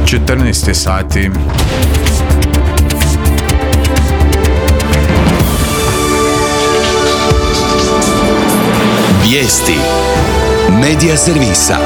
14 sati. Vijesti Medija servisa.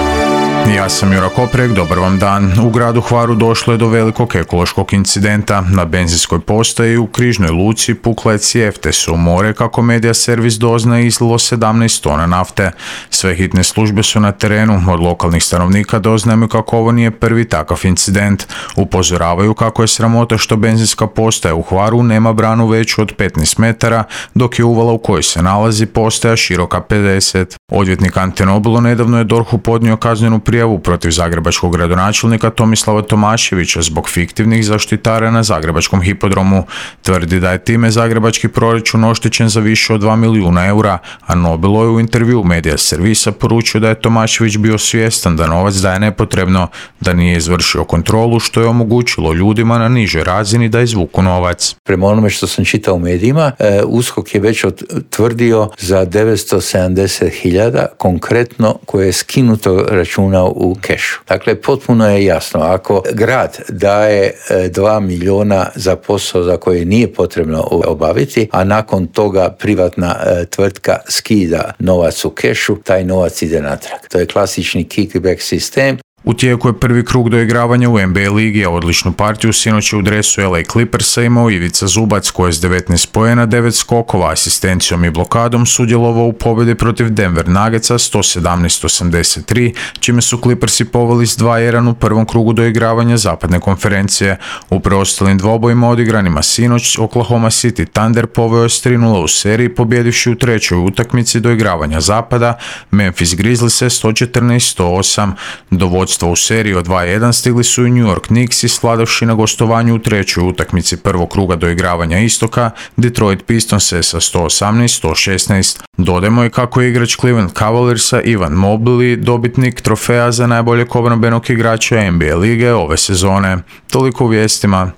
Ja sam Jura Koprek, dobar vam dan. U gradu Hvaru došlo je do velikog ekološkog incidenta. Na benzinskoj postaji u Križnoj luci pukla je cijev te su u more, kako Medija servis doznaje, izlilo 17 tona nafte. Sve hitne službe su na terenu. Od lokalnih stanovnika doznajemo kako ovo nije prvi takav incident. Upozoravaju kako je sramota što benzinska postaja u Hvaru nema branu veću od 15 metara, dok je uvala u kojoj se nalazi postaja široka 50. Odvjetnik Ante Nobilo nedavno je DORH-u podnio kaznenu prijavu protiv zagrebačkog gradonačelnika Tomislava Tomaševića zbog fiktivnih zaštitara na zagrebačkom hipodromu. Tvrdi da je time zagrebački proračun oštećen za više od 2 milijuna eura, a Nobilo je u intervju Medija servisa poručio da je Tomašević bio svjestan da novac daje nepotrebno, da nije izvršio kontrolu, što je omogućilo ljudima na nižoj razini da izvuku novac. Prema onome što sam čitao u medijima, USKOK je već tvrdio za 970.000 konkretno koje je skinuto računa u kešu. Dakle, potpuno je jasno, ako grad daje 2 milijuna za posao za koje nije potrebno obaviti, a nakon toga privatna tvrtka skida novac u kešu, taj novac ide natrag. To je klasični kickback sistem. U tijeku je prvi krug doigravanja u NBA ligi, a odličnu partiju sinoć u dresu LA Clippersa imao Ivica Zubac, koji je s 19 poena, 9 skokova, asistencijom i blokadom sudjelovao u pobjedi protiv Denver Nuggetsa 117-83, čime su Clippersi poveli s 2-1 u prvom krugu doigravanja zapadne konferencije. U preostalim dvobojima odigranima sinoć Oklahoma City Thunder poveo je s 3-0 u seriji, pobjedivši u trećoj utakmici doigravanja zapada Memphis Grizzlies 114-108. Do vodstva u seriji od 2-1 stigli su i New York Knicks, svladavši na gostovanju u trećoj utakmici prvog kruga doigravanja istoka Detroit Pistonse sa 118-116. Dodajmo i kako je igrač Cleveland Cavaliersa Ivan Mobley dobitnik trofeja za najboljeg obrambenog igrača NBA lige ove sezone. Toliko u vijestima.